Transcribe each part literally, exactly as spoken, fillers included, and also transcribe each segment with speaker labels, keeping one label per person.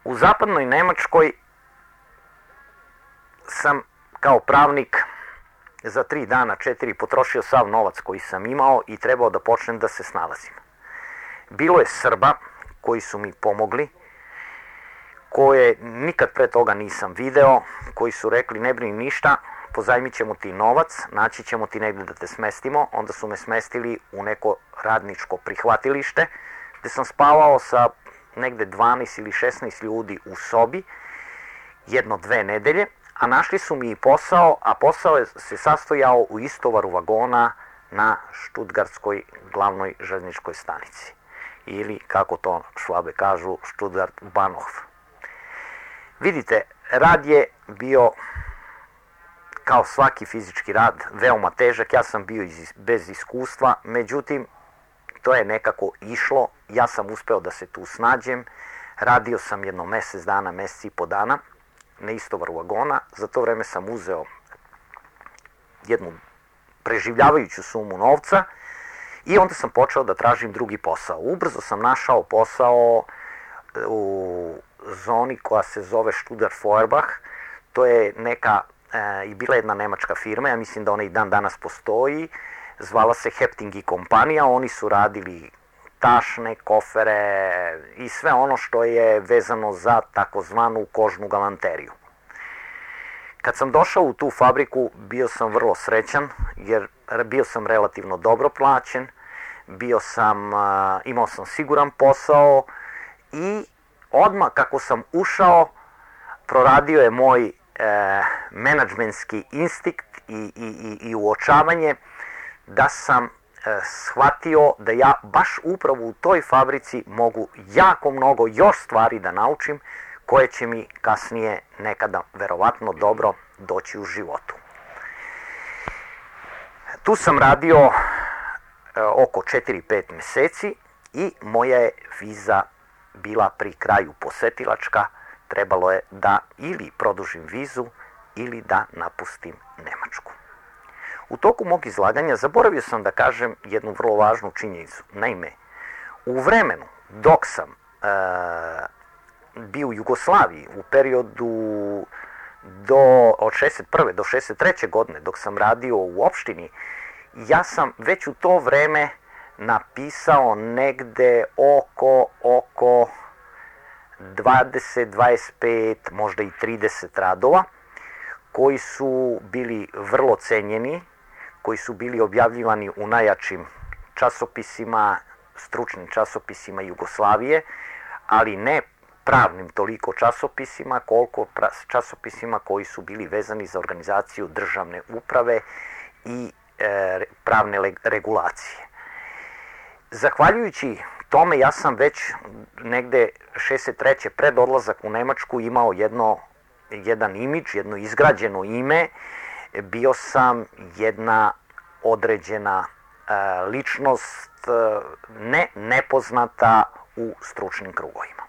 Speaker 1: U zapadnoj Nemačkoj sam kao pravnik za tri dana, četiri potrošio sav novac koji sam imao i trebao da počnem da se snalazim. Bilo je Srba koji su mi pomogli, koje nikad pre toga nisam video, koji su rekli ne brini ništa, pozajmit ćemo ti novac, naći ćemo ti negdje da te smestimo. Onda su me smestili u neko radničko prihvatilište gde sam spavao sa negde dvanaest ili šesnaest ljudi u sobi jedno dve nedelje, a našli su mi i posao, a posao je se sastojao u istovaru vagona na Štutgartskoj glavnoj željezničkoj stanici. Ili, kako to Švabe kažu, Stuttgart-Bahnhof. Vidite, rad je bio, kao svaki fizički rad, veoma težak. Ja sam bio iz, bez iskustva, međutim, to je nekako išlo. Ja sam uspeo da se tu snađem. Radio sam jedno mesec dana, mesec i po dana na istovaru vagona. Za to vreme sam uzeo jednu preživljavajuću sumu novca i onda sam počeo da tražim drugi posao. Ubrzo sam našao posao u zoni koja se zove Stuttgart Feuerbach. To je neka, e, i bila jedna nemačka firma, ja mislim da ona i dan danas postoji, zvala se Hepting i kompanija. Oni su radili tašne, kofere i sve ono što je vezano za takozvanu kožnu galanteriju. Kad sam došao u tu fabriku, bio sam vrlo srećan, jer bio sam relativno dobro plaćen, bio sam, imao sam siguran posao i odmah kako sam ušao, proradio je moj e, menadžmentski instinkt i, i, i, i uočavanje da sam e, shvatio da ja baš upravo u toj fabrici mogu jako mnogo još stvari da naučim koje će mi kasnije nekada verovatno dobro doći u životu. Tu sam radio e, oko četiri pet meseci i moja je viza bila pri kraju posetilačka. Trebalo je da ili produžim vizu ili da napustim Nemačku. U toku mog izlaganja zaboravio sam da kažem jednu vrlo važnu činjenicu. Naime, u vremenu dok sam e, bio u Jugoslaviji, u periodu do, od šezdeset prve do šezdeset treće godine, dok sam radio u opštini, ja sam već u to vreme napisao negde oko, oko dvadeset, dvadeset pet, možda i trideset radova, koji su bili vrlo cenjeni, koji su bili objavljivani u najjačim časopisima, stručnim časopisima Jugoslavije, ali ne pravnim toliko časopisima, koliko časopisima koji su bili vezani za organizaciju državne uprave i e, pravne regulacije. Zahvaljujući tome, ja sam već negde šezdeset treće pred odlazak u Nemačku imao jedno, jedan imidž, jedno izgrađeno ime. Bio sam jedna određena e, ličnost, e, ne nepoznata u stručnim krugovima.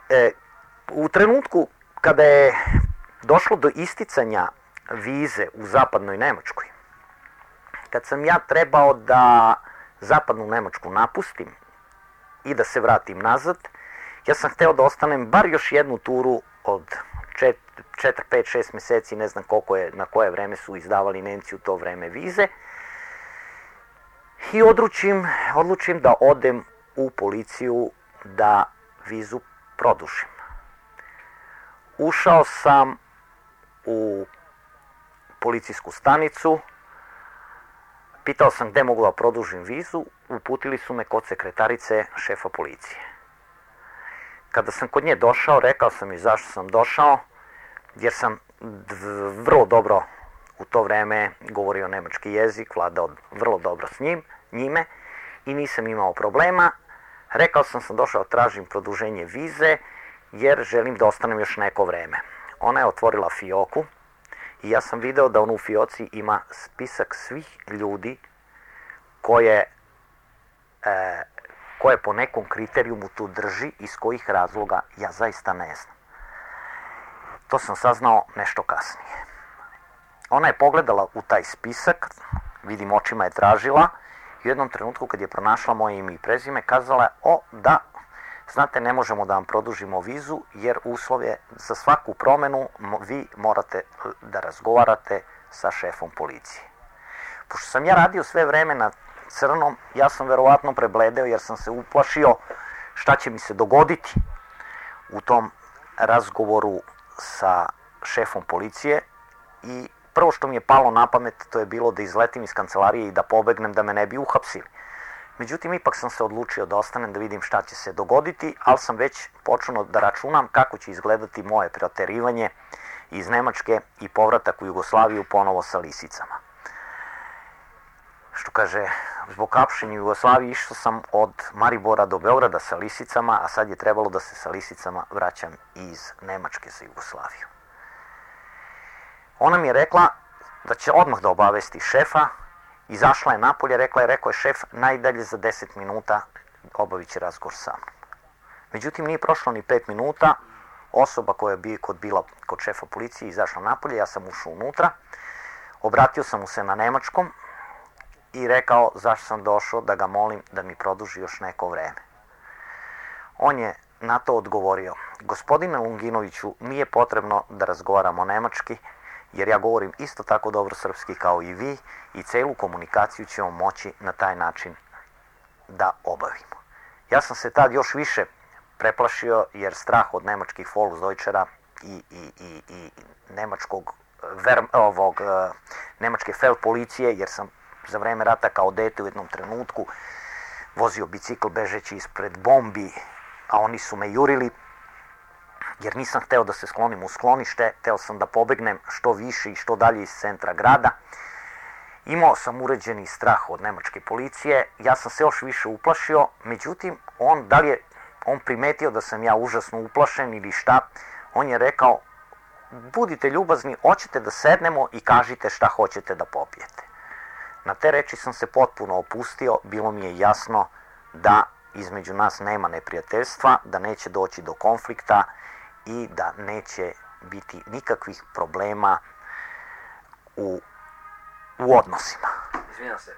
Speaker 1: E, u trenutku kada je došlo do isticanja vize u zapadnoj Nemačkoj, kad sam ja trebao da zapadnu Nemačku napustim i da se vratim nazad, ja sam hteo da ostanem bar još jednu turu od četiri, pet, šest meseci, ne znam koliko je, na koje vreme su izdavali Nemci u to vreme vize, i odlučim, odlučim da odem u policiju da vizu produžim. Ušao sam u policijsku stanicu, pitao sam gde mogu da produžim vizu, uputili su me kod sekretarice šefa policije. Kada sam kod nje došao, rekao sam i zašto sam došao, jer sam vrlo dobro u to vreme govorio nemački jezik, vladao vrlo dobro s njim, njime i nisam imao problema. Rekao sam sam došao, tražim produženje vize jer želim da ostanem još neko vreme. Ona je otvorila fioku i ja sam video da on u fioci ima spisak svih ljudi koje, e, koje po nekom kriterijumu tu drži, iz kojih razloga ja zaista ne znam. To sam saznao nešto kasnije. Ona je pogledala u taj spisak, vidim očima je tražila, i u jednom trenutku kad je pronašla moje ime i prezime, kazala je, o da, znate, ne možemo da vam produžimo vizu jer uslov je za svaku promenu vi morate da razgovarate sa šefom policije. Pošto sam ja radio sve vreme na crnom, ja sam verovatno prebledeo jer sam se uplašio šta će mi se dogoditi u tom razgovoru sa šefom policije i prvo što mi je palo na pamet to je bilo da izletim iz kancelarije i da pobegnem da me ne bi uhapsili. Međutim, ipak sam se odlučio da ostanem da vidim šta će se dogoditi, ali sam već počeo da računam kako će izgledati moje preoterivanje iz Nemačke i povratak u Jugoslaviju ponovo sa lisicama. Što kaže, zbog hapšenja u Jugoslaviji išao sam od Maribora do Beograda sa lisicama, a sad je trebalo da se sa lisicama vraćam iz Nemačke za Jugoslaviju. Ona mi je rekla da će odmah da obavesti šefa, izašla je napolje, rekla je, rekao je šef, najdalje za deset minuta obavit će razgovor sa mnom. Međutim, nije prošlo ni pet minuta, osoba koja je bila kod, bila kod šefa policije izašla napolje, ja sam ušao unutra, obratio sam mu se na nemačkom i rekao zašto sam došao da ga molim da mi produži još neko vreme. On je na to odgovorio, gospodine Lunginoviću, nije potrebno da razgovaramo nemački, jer ja govorim isto tako dobro srpski kao i vi i celu komunikaciju ćemo moći na taj način da obavimo. Ja sam se tad još više preplašio jer strah od nemačkih Volksdeutschera i, i, i, i nemačkog, ver, ovog, nemačke feldpolicije, jer sam za vreme rata kao dete u jednom trenutku vozio bicikl bežeći ispred bombi, a oni su me jurili, jer nisam hteo da se sklonim u sklonište, hteo sam da pobegnem što više i što dalje iz centra grada. Imao sam uređeni strah od nemačke policije, ja sam se još više uplašio, međutim, on, da li je on primetio da sam ja užasno uplašen ili šta, on je rekao, budite ljubazni, hoćete da sednemo i kažite šta hoćete da popijete. Na te reči sam se potpuno opustio, bilo mi je jasno da između nas nema neprijateljstva, da neće doći do konflikta i da neće biti nikakvih problema u, u odnosima.
Speaker 2: Izvinjam se.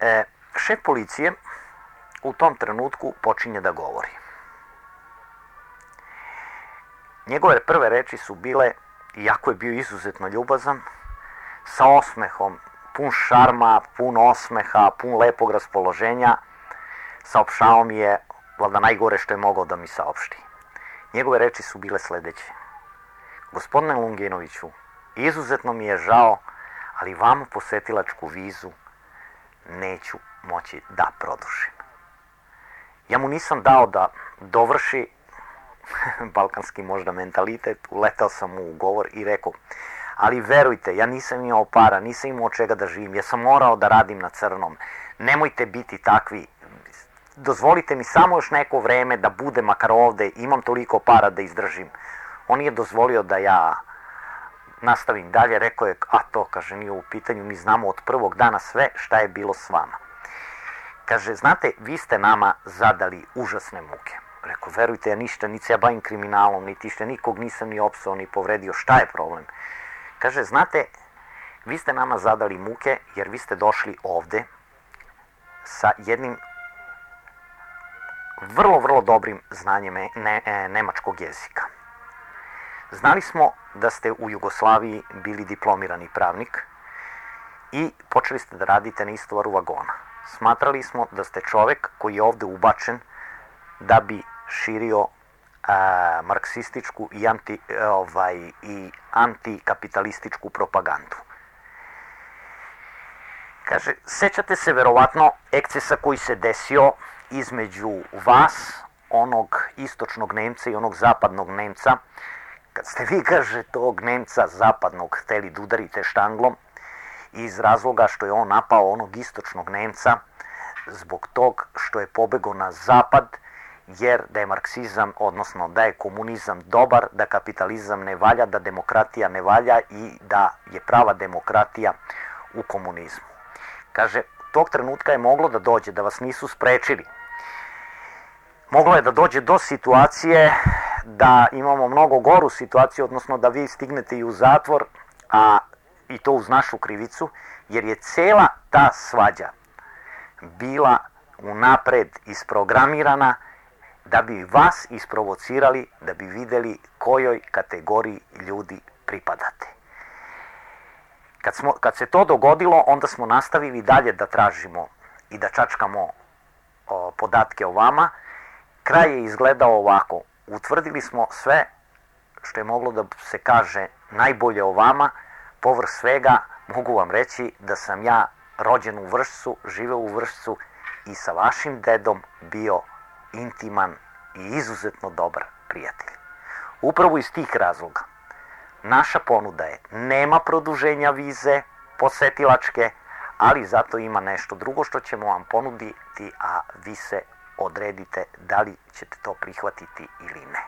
Speaker 1: E, šef policije u tom trenutku počinje da govori. Njegove prve reči su bile, iako je bio izuzetno ljubazan, sa osmehom, pun šarma, pun osmeha, pun lepog raspoloženja, saopštao mi je, valjda najgore što je mogao da mi saopšti. Njegove reči su bile sledeće. Gospodine Lunginoviću, izuzetno mi je žao, ali vama posetilačku vizu neću moći da produžim. Ja mu nisam dao da dovrši balkanski možda mentalitet, uletao sam mu u govor i rekao, ali verujte, ja nisam imao para, nisam imao od čega da živim, ja sam morao da radim na crnom, nemojte biti takvi, dozvolite mi samo još neko vreme da budem makar ovde, imam toliko para da izdržim. On je dozvolio da ja nastavim dalje, rekao je, a to, kaže, nije u pitanju, mi znamo od prvog dana sve šta je bilo s vama. Kaže, znate, vi ste nama zadali užasne muke. Rekao, verujte, ja ništa, niti se ja bavim kriminalom, niti što nikog nisam ni opsao, ni povredio, šta je problem? Kaže, znate, vi ste nama zadali muke jer vi ste došli ovde sa jednim vrlo, vrlo dobrim znanjem ne, ne, nemačkog jezika. Znali smo da ste u Jugoslaviji bili diplomirani pravnik i počeli ste da radite na istovaru vagona. Smatrali smo da ste čovek koji je ovde ubačen da bi širio a, marksističku i, anti, ovaj, i antikapitalističku propagandu. Kaže, sećate se verovatno ekscesa koji se desio između vas, onog istočnog Nemca i onog zapadnog Nemca, kad ste vi, kaže, tog Nemca zapadnog hteli da udarite štanglom iz razloga što je on napao onog istočnog Nemca zbog tog što je pobegao na zapad, jer da je marksizam, odnosno da je komunizam dobar, da kapitalizam ne valja, da demokratija ne valja i da je prava demokratija u komunizmu. Kaže, tog trenutka je moglo da dođe, da vas nisu sprečili. Moglo je da dođe do situacije da imamo mnogo goru situaciju, odnosno da vi stignete i u zatvor, a i to uz našu krivicu, jer je cela ta svađa bila unapred isprogramirana da bi vas isprovocirali, da bi vidjeli kojoj kategoriji ljudi pripadate. Kad, smo, kad se to dogodilo, onda smo nastavili dalje da tražimo i da čačkamo o, podatke o vama. Kraj je izgledao ovako. Utvrdili smo sve što je moglo da se kaže najbolje o vama. Povrh svega mogu vam reći da sam ja rođen u Vršcu, živeo u Vršcu i sa vašim dedom bio intiman i izuzetno dobar prijatelj. Upravo iz tih razloga naša ponuda je nema produženja vize posetilačke, ali zato ima nešto drugo što ćemo vam ponuditi, a vi se odredite da li ćete to prihvatiti ili ne.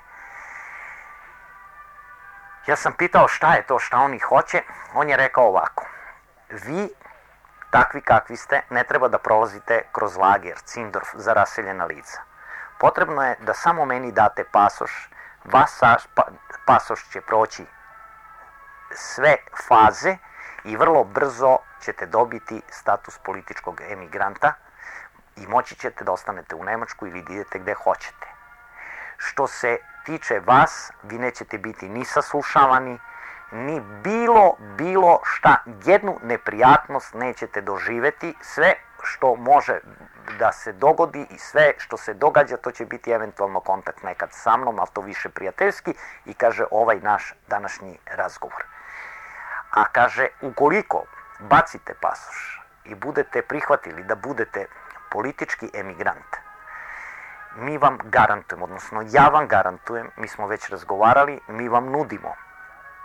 Speaker 1: Ja sam pitao šta je to šta oni hoće, on je rekao ovako: vi, takvi kakvi ste, ne treba da prolazite kroz lager, Cindorf za raseljena lica. Potrebno je da samo meni date pasoš, vas pasoš će proći sve faze i vrlo brzo ćete dobiti status političkog emigranta i moći ćete da ostanete u Nemačku ili da idete gde hoćete. Što se tiče vas, vi nećete biti ni saslušavani, ni bilo, bilo šta, jednu neprijatnost nećete doživeti, sve što može da se dogodi i sve što se događa, to će biti eventualno kontakt nekad sa mnom, ali to više prijateljski, i kaže ovaj naš današnji razgovor. A kaže, ukoliko bacite pasoš i budete prihvatili da budete politički emigrant, mi vam garantujemo, odnosno ja vam garantujem, mi smo već razgovarali, mi vam nudimo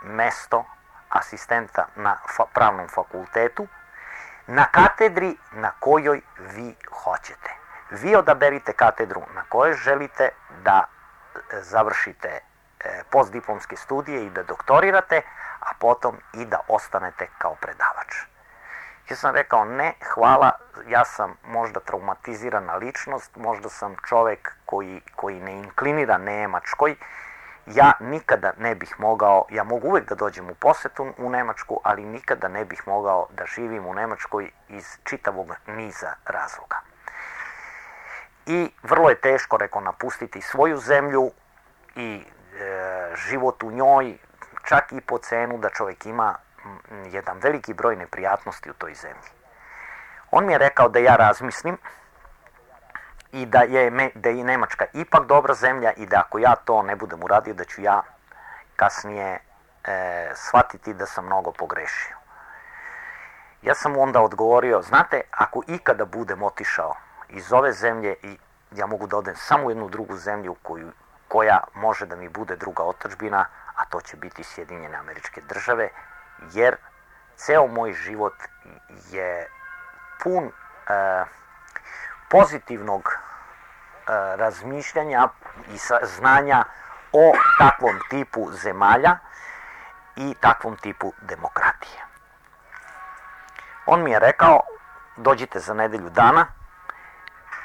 Speaker 1: mesto asistenta na fa- pravnom fakultetu na katedri na kojoj vi hoćete. Vi odaberite katedru na kojoj želite da završite e, postdiplomske studije i da doktorirate, a potom i da ostanete kao predavač. Ja sam rekao ne, hvala, ja sam možda traumatizirana ličnost, možda sam čovek koji, koji ne inklinira Nemačkoj. Ja nikada ne bih mogao, ja mogu uvek da dođem u posetu u Nemačku, ali nikada ne bih mogao da živim u Nemačkoj iz čitavog niza razloga. I vrlo je teško, rekao, napustiti svoju zemlju i e, život u njoj, čak i po cenu da čovjek ima jedan veliki broj neprijatnosti u toj zemlji. On mi je rekao da ja razmislim i da je, da je Nemačka ipak dobra zemlja i da ako ja to ne budem uradio, da ću ja kasnije e, shvatiti da sam mnogo pogrešio. Ja sam mu onda odgovorio, znate, ako ikada budem otišao iz ove zemlje i ja mogu da odem samo u jednu drugu zemlju koju, koja može da mi bude druga otadžbina, a to će biti Sjedinjene Američke Države, jer ceo moj život je pun e, pozitivnog e, razmišljanja i znanja o takvom tipu zemalja i takvom tipu demokratije. On mi je rekao, dođite za nedelju dana,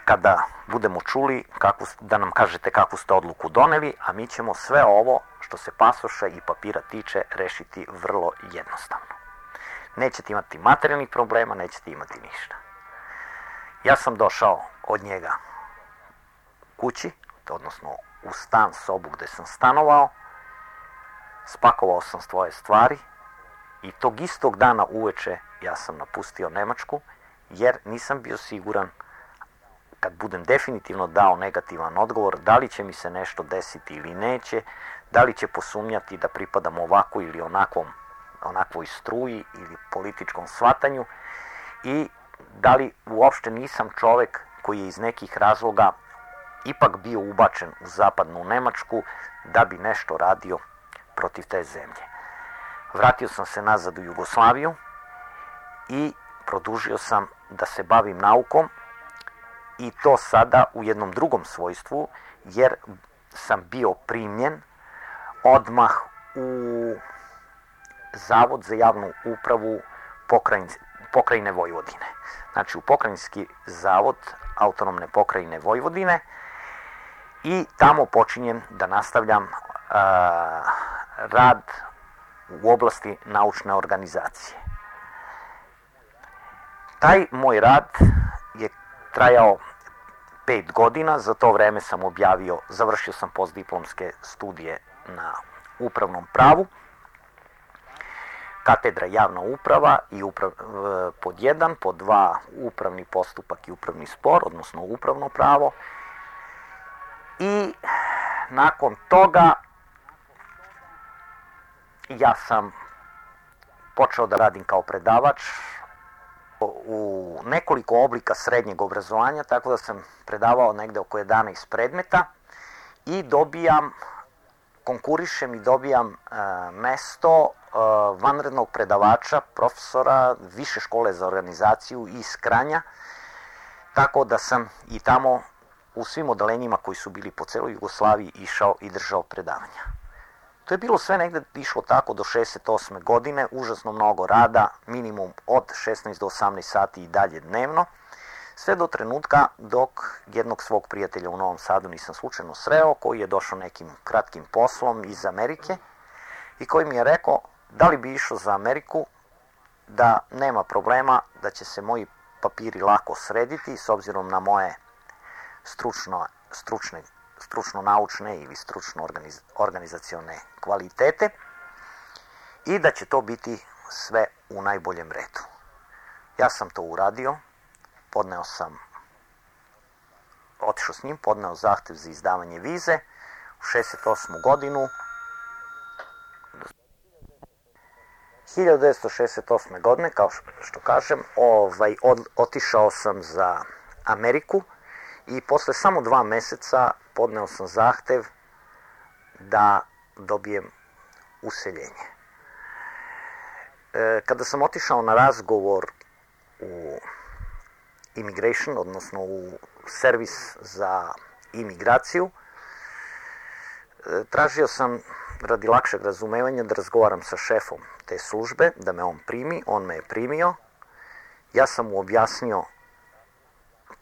Speaker 1: kada budemo čuli kakvu, da nam kažete kakvu ste odluku doneli, a mi ćemo sve ovo što se pasoša i papira tiče rešiti vrlo jednostavno. Nećete imati materijalnih problema, nećete imati ništa. Ja sam došao od njega kući, odnosno u stan, sobu gde sam stanovao, spakovao sam svoje stvari i tog istog dana uveče ja sam napustio Nemačku, jer nisam bio siguran, kad budem definitivno dao negativan odgovor, da li će mi se nešto desiti ili neće, da li će posumnjati da pripadam ovakvoj ili onakvom, onakvoj struji ili političkom shvatanju i da li uopšte nisam čovek koji je iz nekih razloga ipak bio ubačen u zapadnu Nemačku da bi nešto radio protiv te zemlje. Vratio sam se nazad u Jugoslaviju i produžio sam da se bavim naukom, i to sada u jednom drugom svojstvu, jer sam bio primljen odmah u Zavod za javnu upravu pokrajine Vojvodine. Znači u pokrajinski zavod autonomne pokrajine Vojvodine i tamo počinjem da nastavljam uh, rad u oblasti naučne organizacije. Taj moj rad je trajao pet godina, za to vreme sam objavio, završio sam postdiplomske studije na upravnom pravu, katedra javna uprava i uprav, pod jedan, pod dva upravni postupak i upravni spor, odnosno upravno pravo. I nakon toga ja sam počeo da radim kao predavač u nekoliko oblika srednjeg obrazovanja, tako da sam predavao negde oko jedanaest predmeta i dobijam, konkurišem i dobijam e, mesto e, vanrednog predavača, profesora Više škole za organizaciju iz Kranja, tako da sam i tamo u svim odelenjima koji su bili po celoj Jugoslaviji išao i držao predavanja. To je bilo sve negde išlo tako do šezdeset osme godine, užasno mnogo rada, minimum od šesnaest do osamnaest sati i dalje dnevno, sve do trenutka dok jednog svog prijatelja u Novom Sadu nisam slučajno sreo, koji je došao nekim kratkim poslom iz Amerike i koji mi je rekao da li bi išao za Ameriku, da nema problema, da će se moji papiri lako srediti s obzirom na moje stručno, stručne stručno-naučne ili stručno-organizacione kvalitete i da će to biti sve u najboljem redu. Ja sam to uradio, podneo sam, otišao s njim, podneo zahtev za izdavanje vize u šezdeset osmu godinu. hiljadu devetsto šezdeset osme godine, kao što kažem, ovaj, od, otišao sam za Ameriku i posle samo dva meseca podneo sam zahtev da dobijem useljenje. E, kada sam otišao na razgovor u immigration, odnosno u servis za imigraciju, e, tražio sam radi lakšeg razumevanja da razgovaram sa šefom te službe, da me on primi, on me je primio, ja sam mu objasnio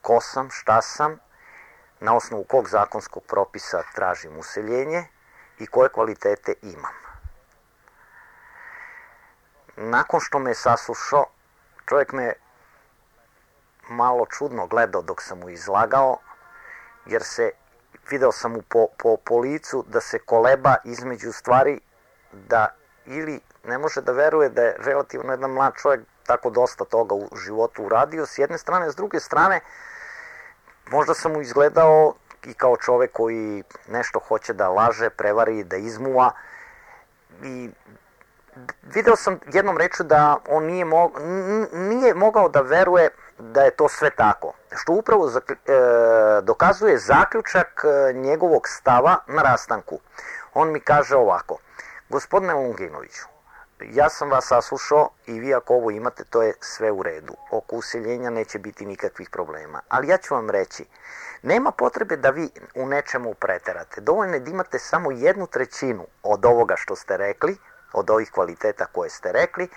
Speaker 1: ko sam, šta sam, na osnovu kog zakonskog propisa tražim useljenje i koje kvalitete imam. Nakon što me je saslušao, čovjek me malo čudno gledao dok sam mu izlagao, jer se, video sam mu po, po, po licu da se koleba između stvari, da ili ne može da veruje da je relativno jedan mlad čovjek tako dosta toga u životu uradio, s jedne strane, s druge strane, možda sam mu izgledao i kao čovek koji nešto hoće da laže, prevari, da izmuva i video sam jednom rečju da on nije, mo, nije mogao da veruje da je to sve tako, što upravo e, dokazuje zaključak njegovog stava na rastanku. On mi kaže ovako: gospodine Lunginoviću, ja sam vas saslušao i vi ako ovo imate, to je sve u redu. Oko useljenja neće biti nikakvih problema. Ali ja ću vam reći, nema potrebe da vi u nečemu preterate. Dovoljno je da imate samo jednu trećinu od ovoga što ste rekli, od ovih kvaliteta koje ste rekli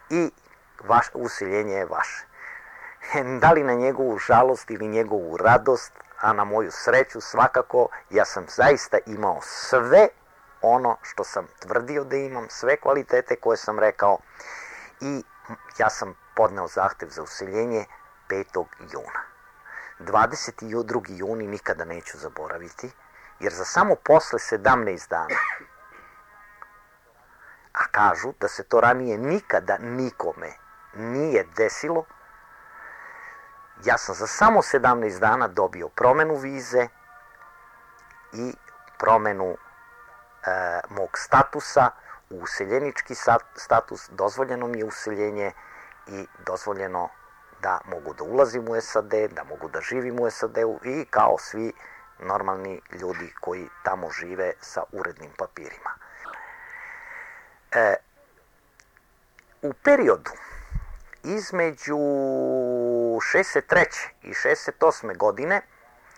Speaker 1: i vaš, useljenje je vaše. Da li na njegovu žalost ili njegovu radost, a na moju sreću svakako, ja sam zaista imao sve ono što sam tvrdio da imam, sve kvalitete koje sam rekao i ja sam podneo zahtev za useljenje petog juna. dvadeset drugi juni nikada neću zaboraviti, jer za samo posle sedamnaest dana, a kažu da se to ranije nikada nikome nije desilo, ja sam za samo sedamnaest dana dobio promenu vize i promenu e, mog statusa u useljenički status, dozvoljeno mi je useljenje i dozvoljeno da mogu da ulazim u S A D, da mogu da živim u S A D-u i kao svi normalni ljudi koji tamo žive sa urednim papirima. E, u periodu između šezdeset treće i šezdeset osme godine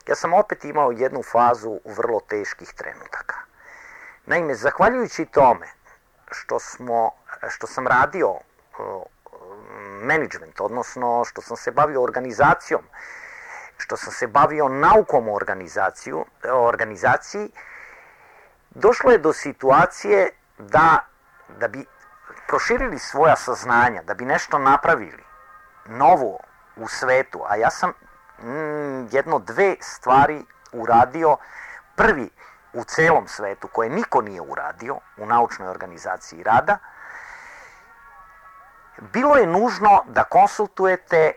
Speaker 1: ja sam opet imao jednu fazu vrlo teških trenutaka. Naime, zahvaljujući tome što, smo, što sam radio uh, management, odnosno što sam se bavio organizacijom, što sam se bavio naukom o organizaciju, organizaciji, došlo je do situacije da, da bi proširili svoja saznanja, da bi nešto napravili novo u svetu, a ja sam mm, jedno dve stvari uradio, prvi u celom svetu koje niko nije uradio u naučnoj organizaciji rada. Bilo je nužno da konsultujete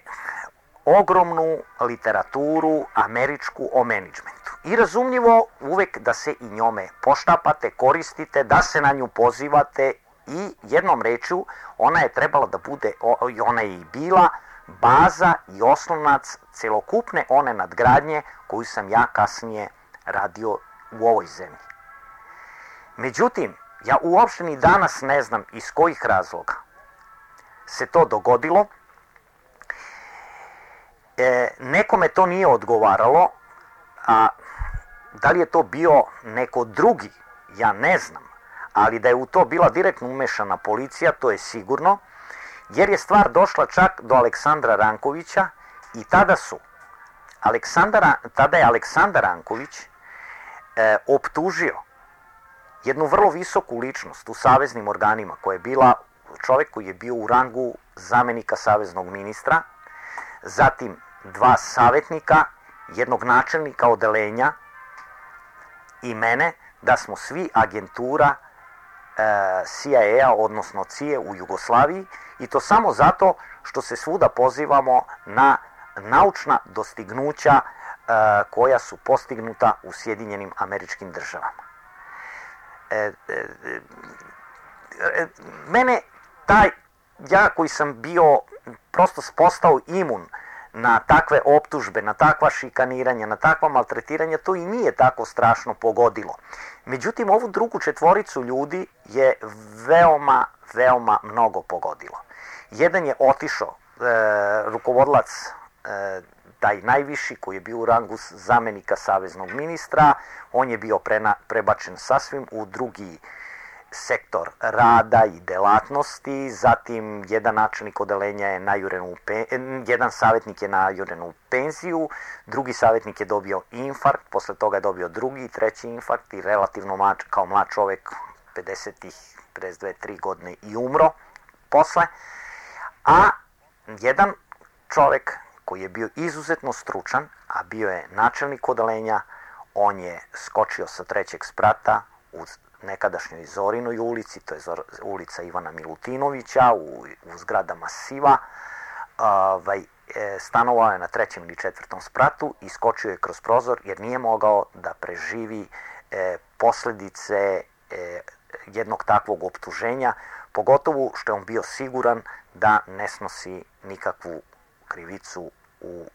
Speaker 1: ogromnu literaturu američku o menadžmentu. I razumljivo uvek da se i njome poštapate, koristite, da se na nju pozivate i jednom rečju ona je trebala da bude, ona je i bila baza i oslonac celokupne one nadgradnje koju sam ja kasnije radio u ovoj zemlji. Međutim, ja uopšte ni danas ne znam iz kojih razloga se to dogodilo. E, nekome to nije odgovaralo, a da li je to bio neko drugi, ja ne znam, ali da je u to bila direktno umešana policija, to je sigurno, jer je stvar došla čak do Aleksandra Rankovića i tada su Aleksandra, tada je Aleksandar Ranković e, optužio jednu vrlo visoku ličnost u saveznim organima, koja je bila čovjek koji je bio u rangu zamenika saveznog ministra, zatim dva savjetnika, jednog načelnika odeljenja i mene, da smo svi agentura e, C I A, odnosno C I A u Jugoslaviji, i to samo zato što se svuda pozivamo na naučna dostignuća e, koja su postignuta u Sjedinjenim Američkim Državama. E, e, e, mene taj, ja koji sam bio prosto postao imun na takve optužbe, na takva šikaniranja, na takva maltretiranja, to i nije tako strašno pogodilo. Međutim, ovu drugu četvoricu ljudi je veoma, veoma mnogo pogodilo. Jedan je otišao, e, rukovodilac, e, taj najviši koji je bio u rangu zamenika saveznog ministra, on je bio prena, prebačen sasvim u drugi sektor rada i delatnosti, zatim jedan načelnik odeljenja je najuren u penziju, jedan savjetnik je najuren u penziju, drugi savjetnik je dobio infarkt, posle toga je dobio drugi, treći infarkt i relativno mlad, kao mlad čovjek, pedeset, pedeset dve, tri godine i umro posle, a jedan čovjek koji je bio izuzetno stručan, a bio je načelnik odeljenja, on je skočio sa trećeg sprata u nekadašnjoj Zorinoj ulici, to je ulica Ivana Milutinovića, u, u zgradama Siva, ovaj, e, stanovao je na trećem ili četvrtom spratu i skočio je kroz prozor jer nije mogao da preživi e, posljedice e, jednog takvog optuženja, pogotovo što je on bio siguran da ne snosi nikakvu krivicu u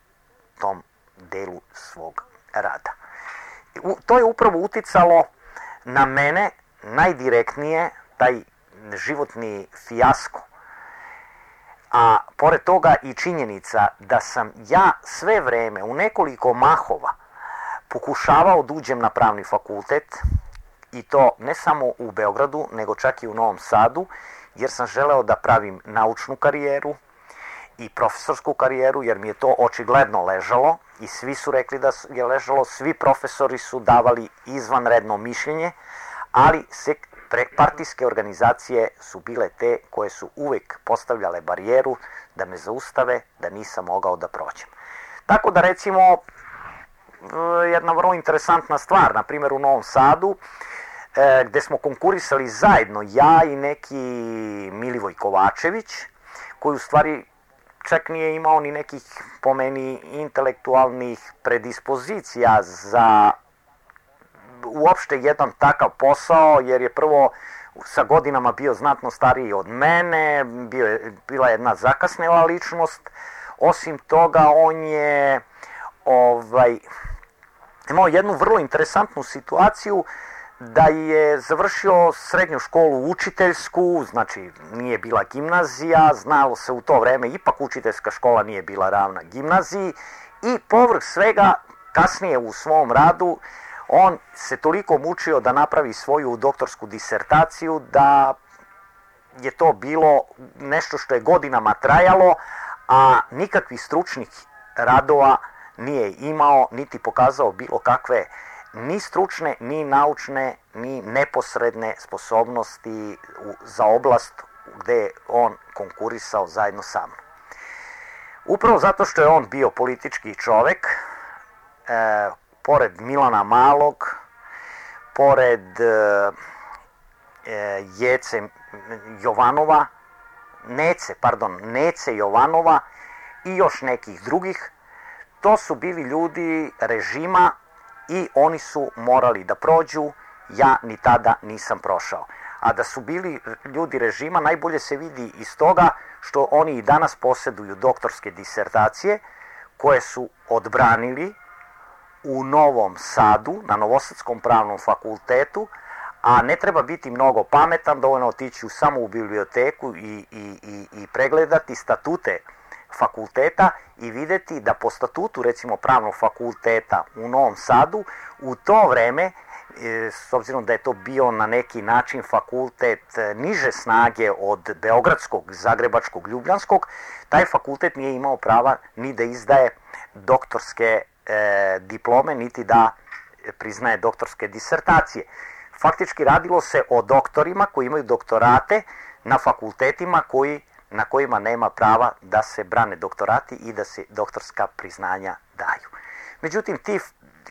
Speaker 1: tom delu svog rada. U, to je upravo uticalo na mene najdirektnije, taj životni fijasko. A pored toga i činjenica da sam ja sve vreme u nekoliko mahova pokušavao da uđem na pravni fakultet, i to ne samo u Beogradu, nego čak i u Novom Sadu, jer sam želeo da pravim naučnu karijeru i profesorsku karijeru, jer mi je to očigledno ležalo i svi su rekli da je ležalo, svi profesori su davali izvanredno mišljenje, ali se partijske organizacije su bile te koje su uvek postavljale barijeru da me zaustave, da nisam mogao da prođem. Tako da recimo jedna vrlo interesantna stvar, na primjer u Novom Sadu, gde smo konkurisali zajedno ja i neki Milivoj Kovačević, koji u stvari čak nije imao ni nekih, po meni, intelektualnih predispozicija za uopšte jedan takav posao, jer je prvo sa godinama bio znatno stariji od mene, bio je, bila jedna zakasnela ličnost. Osim toga, on je ovaj, imao jednu vrlo interesantnu situaciju da je završio srednju školu učiteljsku, znači nije bila gimnazija, znalo se u to vreme, ipak učiteljska škola nije bila ravna gimnaziji, i povrh svega kasnije u svom radu on se toliko mučio da napravi svoju doktorsku disertaciju da je to bilo nešto što je godinama trajalo, a nikakvih stručnih radova nije imao, niti pokazao bilo kakve ni stručne, ni naučne, ni neposredne sposobnosti za oblast gde je on konkurisao zajedno sa mnom. Upravo zato što je on bio politički čovek, e, pored Milana Malog, pored e, Jece Jovanova, Nece, pardon, Nece Jovanova i još nekih drugih, to su bili ljudi režima i oni su morali da prođu, ja ni tada nisam prošao. A da su bili ljudi režima najbolje se vidi iz toga što oni i danas posjeduju doktorske disertacije koje su odbranili u Novom Sadu, na Novosadskom pravnom fakultetu, a ne treba biti mnogo pametan, dovoljno otići samo u biblioteku i, i, i, i pregledati statute fakulteta i vidjeti da po statutu recimo pravnog fakulteta u Novom Sadu u to vreme, s obzirom da je to bio na neki način fakultet niže snage od Beogradskog, Zagrebačkog, Ljubljanskog, taj fakultet nije imao prava ni da izdaje doktorske e, diplome, niti da priznaje doktorske disertacije. Faktički radilo se o doktorima koji imaju doktorate na fakultetima koji, na kojima nema prava da se brane doktorati i da se doktorska priznanja daju. Međutim, ti,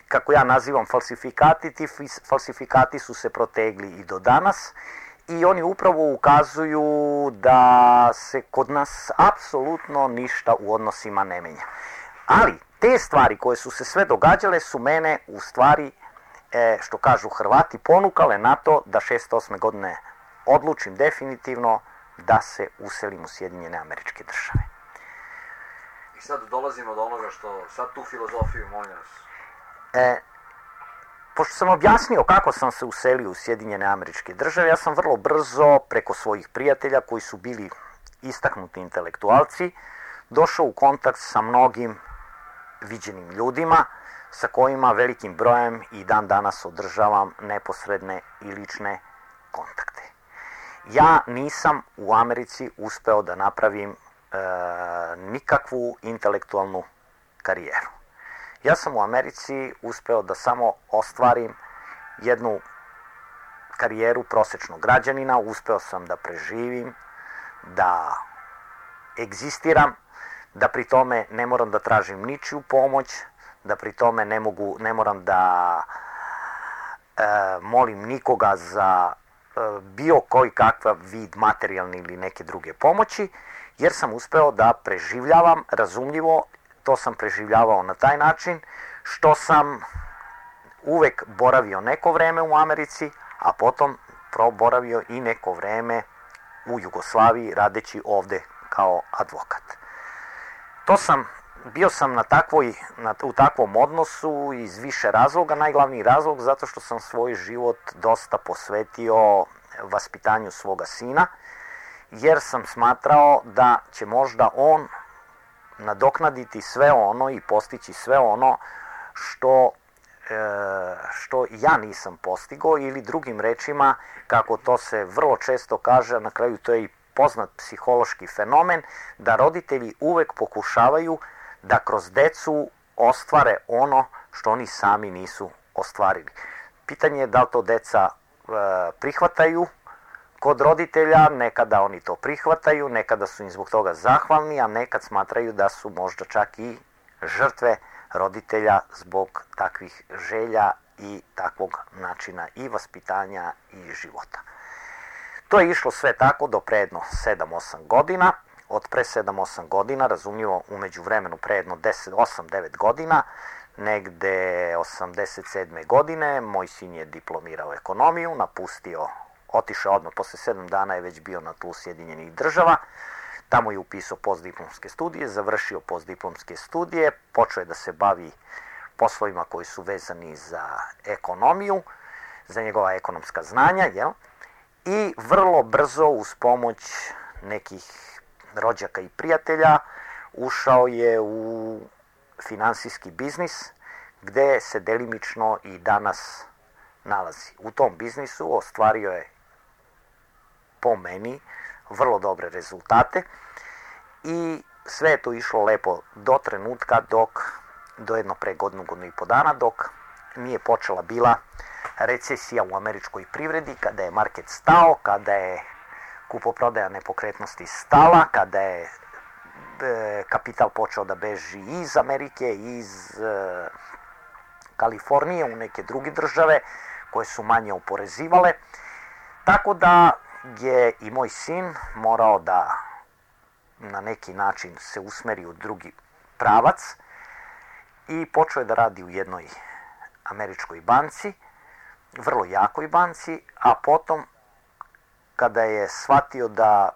Speaker 1: kako ja nazivam falsifikati, ti falsifikati su se protegli i do danas i oni upravo ukazuju da se kod nas apsolutno ništa u odnosima ne menja. Ali te stvari koje su se sve događale su mene u stvari, e, što kažu Hrvati, ponukale na to da šezdeset osme godine odlučim definitivno da se uselim u Sjedinjene Američke Države.
Speaker 2: I sad dolazimo do onoga što, sad tu filozofiju, molim vas.
Speaker 1: E, pošto sam objasnio kako sam se uselio u Sjedinjene Američke Države, ja sam vrlo brzo preko svojih prijatelja koji su bili istaknuti intelektualci došao u kontakt sa mnogim viđenim ljudima sa kojima velikim brojem i dan danas održavam neposredne i lične kontakte. Ja nisam u Americi uspeo da napravim e, nikakvu intelektualnu karijeru. Ja sam u Americi uspeo da samo ostvarim jednu karijeru prosječnog građanina, uspeo sam da preživim, da egzistiram, da pri tome ne moram da tražim ničiju pomoć, da pri tome ne, mogu, ne moram da e, molim nikoga za e, bio koji kakav vid materijalne ili neke druge pomoći, jer sam uspeo da preživljavam, razumljivo, to sam preživljavao na taj način što sam uvek boravio neko vreme u Americi, a potom proboravio i neko vreme u Jugoslaviji radeći ovde kao advokat. To sam, bio sam na takvoj, na, u takvom odnosu iz više razloga. Najglavniji razlog zato što sam svoj život dosta posvetio vaspitanju svoga sina, jer sam smatrao da će možda on nadoknaditi sve ono i postići sve ono što, e, što ja nisam postigao, ili drugim rečima, kako to se vrlo često kaže, na kraju to je i poznat psihološki fenomen, da roditelji uvek pokušavaju da kroz decu ostvare ono što oni sami nisu ostvarili. Pitanje je da li to deca e, prihvataju kod roditelja, nekada oni to prihvataju, nekada su im zbog toga zahvalni, a nekad smatraju da su možda čak i žrtve roditelja zbog takvih želja i takvog načina i vaspitanja i života. To je išlo sve tako do pre jedno sedam osam godina. Od pre sedam osam godina, razumljivo umeđu vremenu pre jedno deset osam devet godina, negde osamdeset sedme godine, moj sin je diplomirao ekonomiju, napustio, otišao odmah, posle sedam dana je već bio na tlu Sjedinjenih Država, tamo je upisao postdiplomske studije, završio postdiplomske studije, počeo je da se bavi poslovima koji su vezani za ekonomiju, za njegova ekonomska znanja, jel? I vrlo brzo uz pomoć nekih rođaka i prijatelja ušao je u finansijski biznis gde se delimično i danas nalazi. U tom biznisu ostvario je, po meni, vrlo dobre rezultate i sve je to išlo lepo do trenutka dok, do jedno pre godinu, godinu i po dana, dok nije počela bila recesija u američkoj privredi, kada je market stao, kada je kupoprodaja nepokretnosti stala, kada je e, kapital počeo da beži iz Amerike, iz e, Kalifornije u neke druge države koje su manje oporezivale. Tako da je i moj sin morao da na neki način se usmeri u drugi pravac i počeo je da radi u jednoj američkoj banci, vrlo jakoj banci, a potom kada je shvatio da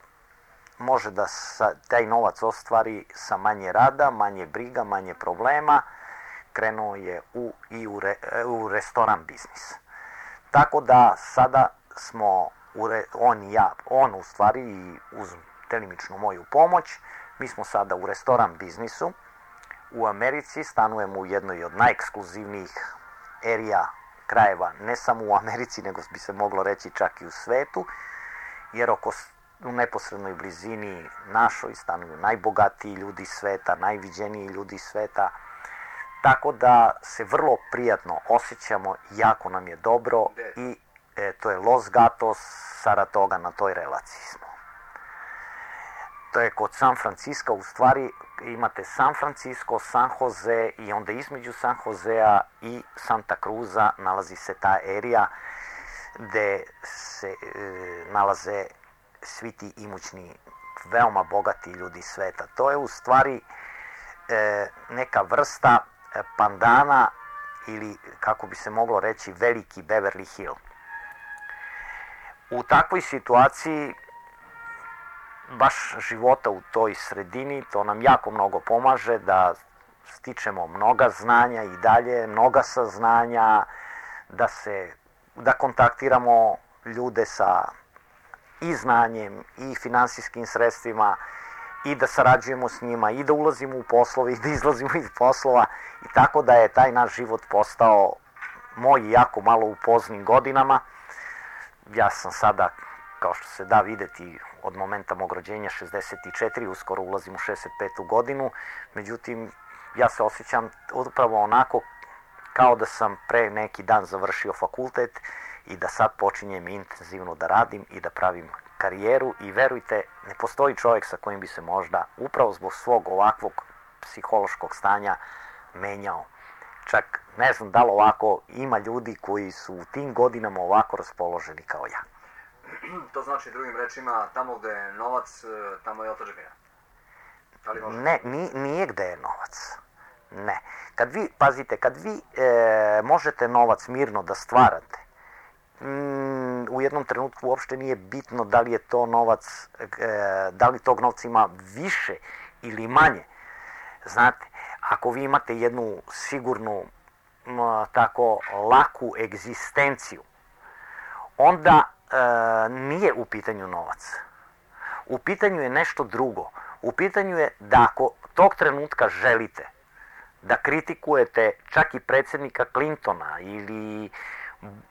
Speaker 1: može da taj novac ostvari sa manje rada, manje briga, manje problema, krenuo je u, i u, re, u restoran biznis. Tako da sada smo, u re, on i ja, on u stvari i uz delimičnu moju pomoć, mi smo sada u restoran biznisu u Americi, stanujemo u jednoj od najekskluzivnijih erija krajeva, ne samo u Americi, nego bi se moglo reći čak i u svetu, jer oko, u neposrednoj blizini našoj stanuju najbogatiji ljudi sveta, najviđeniji ljudi sveta, tako da se vrlo prijatno osjećamo, jako nam je dobro i e, to je Los Gatos, Saratoga, na toj relaciji smo. To je kod San Francisco, u stvari imate San Francisco, San Jose i onda između San Josea i Santa Cruza nalazi se ta erija gde se e, nalaze svi ti imućni, veoma bogati ljudi sveta. To je u stvari e, neka vrsta pandana ili, kako bi se moglo reći, veliki Beverly Hill. U takvoj situaciji baš života u toj sredini, to nam jako mnogo pomaže da stičemo mnoga znanja i dalje, mnoga saznanja, da se, da kontaktiramo ljude sa i znanjem i finansijskim sredstvima i da sarađujemo s njima i da ulazimo u poslove i da izlazimo iz poslova i tako da je taj naš život postao moj jako malo u poznim godinama. Ja sam sada, kao što se da videti, od momenta mog rođenja šezdeset četiri, uskoro ulazim u šezdeset petu godinu, međutim, ja se osjećam upravo onako kao da sam pre neki dan završio fakultet i da sad počinjem intenzivno da radim i da pravim karijeru i verujte, ne postoji čovjek sa kojim bi se možda upravo zbog svog ovakvog psihološkog stanja menjao. Čak ne znam da li ovako ima ljudi koji su u tim godinama ovako raspoloženi kao ja.
Speaker 2: To znači drugim rečima, tamo gde je novac, tamo je otadžbina.
Speaker 1: Ne, ni, nije gde je novac. Ne. Kad vi, pazite, kad vi e, možete novac mirno da stvarate, mm, u jednom trenutku uopšte nije bitno da li je to novac, e, da li tog novca ima više ili manje. Znate, ako vi imate jednu sigurnu, m, tako laku egzistenciju, onda e, nije u pitanju novac. U pitanju je nešto drugo. U pitanju je da ako tog trenutka želite da kritikujete čak i predsjednika Clintona ili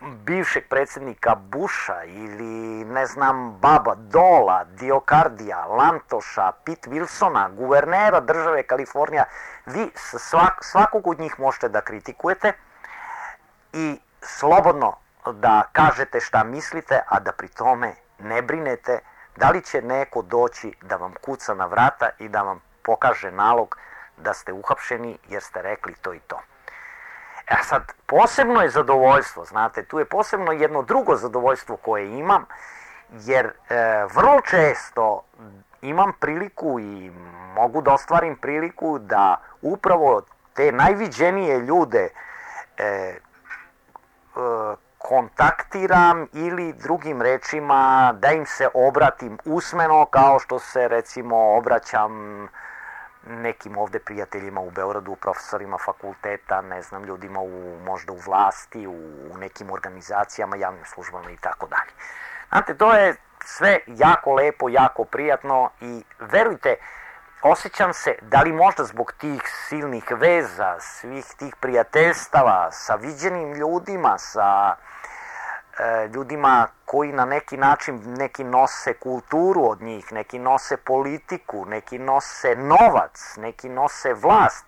Speaker 1: bivšeg predsjednika Busha ili, ne znam, Baba Dola, Diokardija, Lantoša, Pete Wilsona, guvernera države Kalifornija, vi svak, svakog od njih možete da kritikujete i slobodno da kažete šta mislite, a da pri tome ne brinete da li će neko doći da vam kuca na vrata i da vam pokaže nalog da ste uhapšeni jer ste rekli to i to. E sad, posebno je zadovoljstvo, znate, tu je posebno jedno drugo zadovoljstvo koje imam, jer e, vrlo često imam priliku i mogu da ostvarim priliku da upravo te najviđenije ljude e, e, kontaktiram ili drugim rečima da im se obratim usmeno kao što se recimo obraćam nekim ovde prijateljima u Beogradu, profesorima fakulteta, ne znam, ljudima u, možda u vlasti, u, u nekim organizacijama, javnim službama i tako dalje. Znate, to je sve jako lepo, jako prijatno i verujte, osjećam se, da li možda zbog tih silnih veza, svih tih prijateljstava, sa viđenim ljudima, sa e, ljudima koji na neki način neki nose kulturu od njih, neki nose politiku, neki nose novac, neki nose vlast.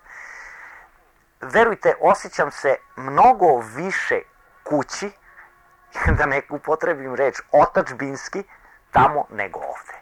Speaker 1: Verujte, osjećam se mnogo više kući, da ne upotrebim reč otadžbinski, tamo nego ovde.